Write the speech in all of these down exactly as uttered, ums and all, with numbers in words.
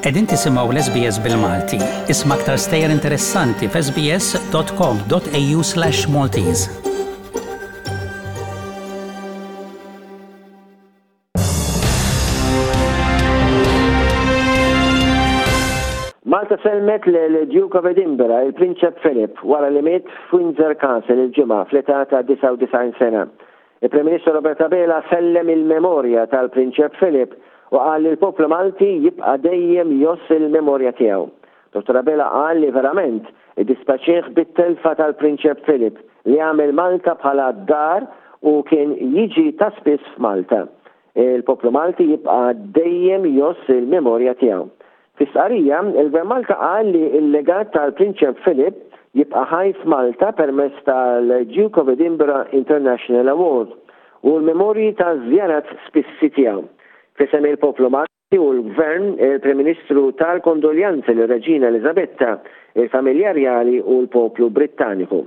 Qegħdin tisimgħu l-S B S bil-Malti. Isma' aktar stejjer interessanti f'S B S dot com dot A U slash Maltese. Malta sellmet lil Duke of Edinburgh, il-Prinċep Philip, wara li miet f'Windsor Castle il-Ġimgħa fl-età ta' disgħa u disgħin sena. Il-Prim Ministru Robert Abela sellem il-memorja tal-Prinċep Philip u qal li l-poplu Malti jibqa' dejjem jgħożż il-memorja tiegħu. Dottor Abela qal li verament iddispjaċih bit-telfa tal-Prinċep Philip, li għamel Malta bħala dar u kien jiġi ta' spiss f'Malta. Il-poplu Malti jibqa' dejjem jgħożż il-memorja tiegħu. Fi stqarrija, il-Gvern Malta qal li il-legat tal-Prinċep Philip jibqa' ħaj f'Malta permezz tal-Duke of Edinburgh International Award u l-memorji ta' żjarat spissi tiegħu. F'isem il-poplu Malti u l-Gvern, il-Prim Ministru ta l-kondoljanzi lir-Reġina Elizabetta, il-familja rjali u l-poplu Brittaniku.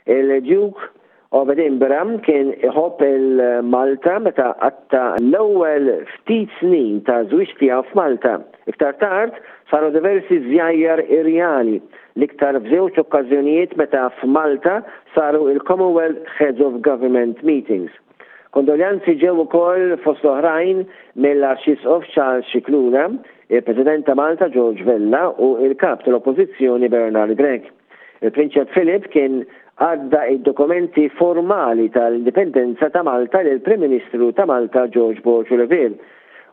Il-Duke of Edinburgh kien iħobb il-Malta meta qatta' l-ewwel ftit snin ta' żwieġ tiegħu f'Malta. Iktar tard saru diversi żjajjar irjali, l-iktar f'żewġ okkażjonijiet meta f'Malta saru il-Commonwealth Heads of Government Meetings. Kondoljanzi ġew ukoll, fost oħrajn, mill-Arċisqof Charles Scicluna, il-President ta' Malta George Vella u il-Kap tal-Oppożizzjoni Bernard Grech. Il-Prinċep Philip kien għadda id-dokumenti formali tal-indipendenza ta' Malta lil Prim Ministru ta' Malta George Borg Olivier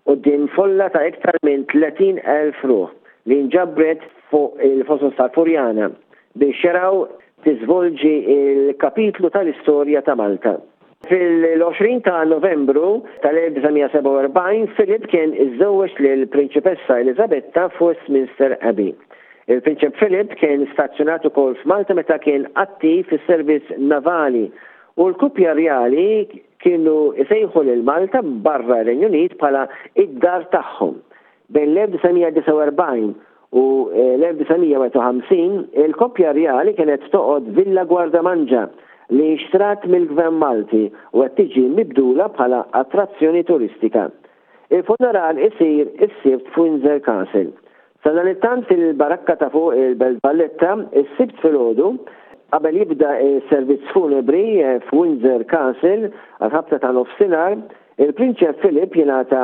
quddiem folla ta' iktar minn tletin elf ruħ li nġabret fuq il-Fosos tal-Furjana biex jaraw tiżvolġi il-kapitlu tal-istorja ta' Malta. Fil-għoxrin ta' Novembru tal-elf disa' mija sebgħa u erbgħin Philip kien iżżewweġ lill-Prinċipessa Elizabetta f'Westminster Abbey. Il-Prinċep Philip kien stazzjonat ukoll f'Malta meta kien attiv fis-servizz navali u l-kuppja rjali kienu isejħu lil Malta barra r-Renju Unit bħala id-dar tagħhom. Bejn l-elf disa' mija disgħa u erbgħin u l-elf disa' mija wieħed u ħamsin il-koppja rjali kienet toqgħod Villa Guardamangia li xtrat mill-Gvern Malti u qed tiġi mibdula bħala attrazzjoni turistika. Il-funeral isir is-Sibt f'Windsor Castle. Sadanittant, fil-barakka ta' fuq il-Belt Valletta, is-Sibt filgħodu, qabel jibda il-servizz funebri f'Windsor Castle għal-ħabta ta' nofsinhar, il-Prinċep Philip jingħata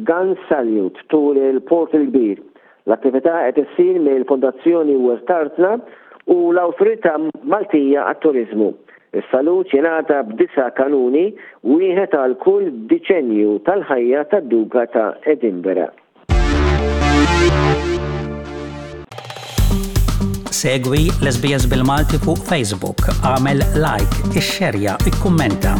gun salute tul il-Port il-Kbir. L-attività qed issir mill-Fondazzjoni Wirt Artna u l-Awtorità Maltija għat-Turizmu. Is-salut jingħata b'disa' kanuni, wieħed għal kull diċenju tal-ħajja tad-Duka ta' Edinburgh. Segwi l-S B S bil-Malti fuq Facebook, għamel like, ixxerja, ikkummenta.